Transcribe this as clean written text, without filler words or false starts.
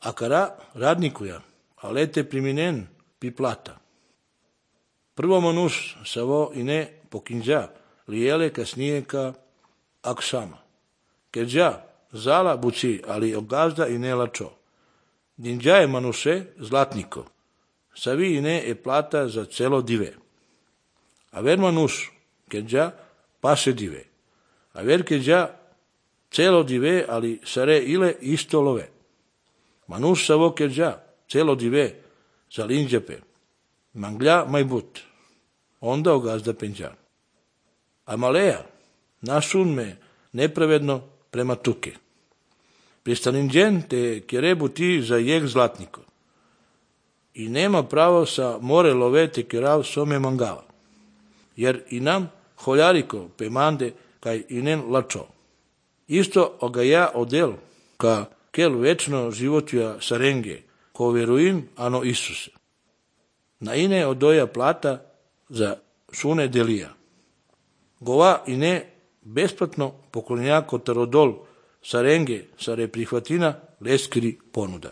Akara radnikuja, alete priminen pi plata. Prvo manus savo ine pokinja, liele kasnijeka aksama. Keđa zala buci, ali ogazda ine lačo. Dinđa je manuse zlatniko, savi ine e plata za celo dive. A ver manus keđa pase dive. A ver keđa celo dive, ali sare ile isto love. Manus savo keđa celo dive za linđepe. Manglja majbut. Onda ogazda penđa. A maleja nasun me nepravedno prema tuke. Pristalinđen te kerebu ti za jek zlatniko. I nema pravo sa more love te kerav some mangava. Jer i nam holjariko pemande kaj inen lačo. Isto oga ja odel ka kel večno životja sarenge, ko veruim ano Isuse. Na ine odoja plata za sune delija. Gova ine besplatno poklonjako tarodol sarenge sare prihvatina leskri ponuda.